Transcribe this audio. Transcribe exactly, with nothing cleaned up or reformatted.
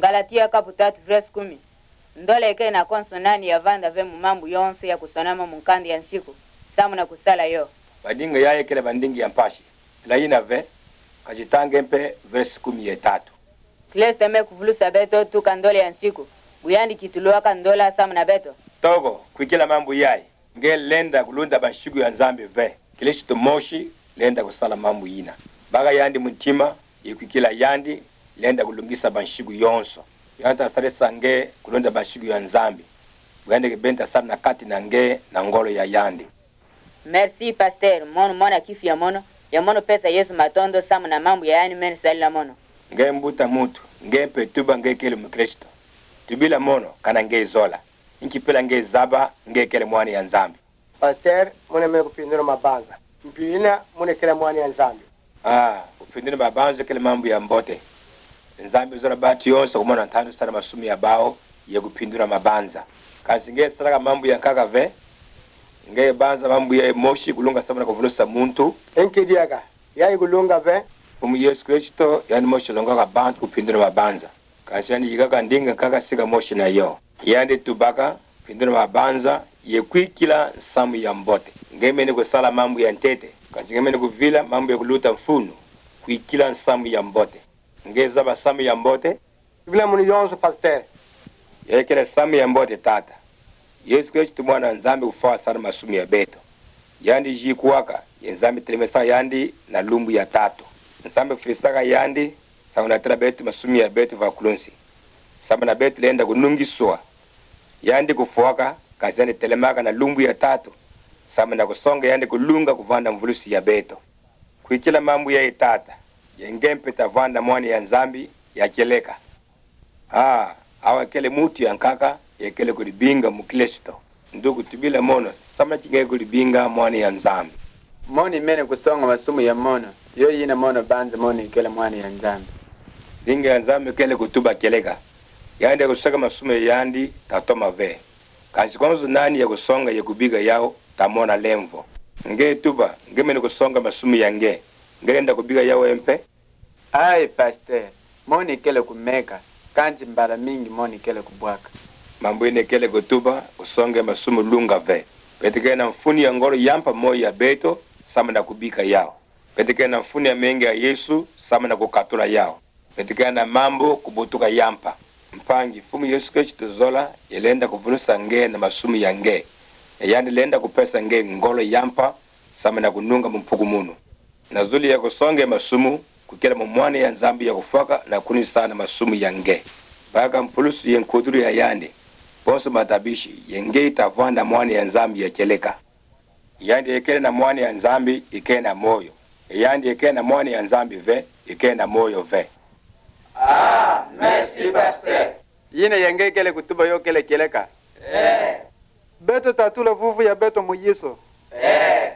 Galatia kapu tatu verse kumi. Ndola ekele na konso nani ya vanda ve mu mambu yonso ya kusonama mu nkanda ya nsiku, samu na kusala yo. Bandinga yayi ekele bandinga ya mpasi. Ila yina ve, ka titanga mpe verse kumi ye tatu. Kristo me kuvulusa beto tuka ndola ya nsiku, bu yandi kituluaka ndola samu na beto. Toko, kwikila mambu yayi, nge lenda kulunda bansiku ya Nzambi ve. Kristo mosi lenda kusala mambu yina. Baka yandi mu ntima, ye kwikila yandi, lenda kulungisa bansiku yonso. Yandi ta sadisa nge kulunda bansiku ya Nzambi. Bu yandi kibeni ta sala na kati na nge na ngolo ya yandi. Merci, pasteur. Mono mona kifu ya mono, ya mono pesa Yesu matondo samu na mambu ya yandi mene salila mono. Nge mbuta muntu, nge mpe tuba nge kele mukristo. Tubila mono, kana nge zola. Nki pila nge zaba nge kele mwana ya Nzambi? Pasteur, mono mene kupindula mabanza. Mpila mono kele mwana ya Nzambi? Ah, kupindula mabanza kele mambu ya mbote. Nzambi zola bantu yonso kumona ntandu sala masumu ya bawu, ye kupindula mabanza. Kansi nge salaka mambu ya nkaka ve, nge banza mambu yayi mosi kulunga samu na kuvulusa muntu. Nki diaka, yayi kulunga ve? Mfumu Yesu Kristo, yandi mosi longwaka bantu kupindula mabanza. Kansi yandi yikaka ndinga nkaka sika mosi na yo. Yandi tubaka, pindula mabanza, ye kwikila nsamu ya mbote. Nge mene kusala mambu ya ntete, kansi nge mene kuvila mambu ya kuluta mfunu, kwikila nsamu ya mbote. Nge zaba nsamu ya mbote? Tubila mono yonso, pasteur. Yayi kele nsamu ya mbote tata. Yesu Kristo mwana Nzambi kufwa sala masumu ya beto. Yandi zikwaka, ye Nzambi telemesaka yandi na lumbu ya tatu. Nzambi fwisaka yandi, samu na tala beto masumu ya beto va kulunsi. Samu na beto lenda kunungiswa. Yandi kufwaka, kansi yandi telemaka na lumbu ya tatu. Samu na kusonga yandi kulunga kuvanda mvulusi ya beto. Kwikila mambu yayi tata, ye nge mpe ta vanda mwana ya Nzambi ya kieleka. Ah, awa kele muntu ya nkaka, ye kele kudibinga mukristo. Nduku tubila mono, samu na ti nge kudibinga mwana ya Nzambi. Mono mene kusonga masumu ya mono, yo yina mono banza mono kele mwana ya Nzambi. Ndinga ya Nzambi kele kutuba kieleka. Yandi kuseka masumu ya yandi, ta toma ve. Kansi konso nani ya kusonga ye kubika yawu, ta mona lemvo. Nge tuba, nge mene kusonga masumu ya nge. Nge lenda kubika yawu mpe? Ai, pasteur, mono kele kumeka, kansi mbala mingi mono kele kubwaka. Mambu yina kele kutuba, kusonga masumu lunga ve. Beto kele na mfunu ya ngolo ya mpa moyo ya beto, samu na kubika yawu. Beto kele na mfunu ya menga ya Yesu, samu na kukatula yawu. Beto kele na mambu kubutuka ya mpa. Mpangi, Mfumu Yesu Kristo zola, ye lenda kuvulusa nge na masumu ya nge. Ye yandi lenda kupesa nge ngolo ya mpa, samu na kununga mu mpukumunu. Na zulu ya kusonga masumu, kukele mo mwana ya Nzambi ya kufwaka na kunisa na masumu ya nge. Baka mpulusu ye nkudulu ya yandi, bonso matabisi, ye nge ta vanda mwana ya Nzambi ya kieleka. Yandi ye kele na mwana ya Nzambi, ye kele na moyo. Ye yandi ye kele na mwana ya Nzambi ve, ye kele na moyo ve. Ah, merci, pasteur. Yina ye nge kele kutuba yo kele kieleka. Eh. Beto ta tula vuvu ya beto mu Yesu. Eh.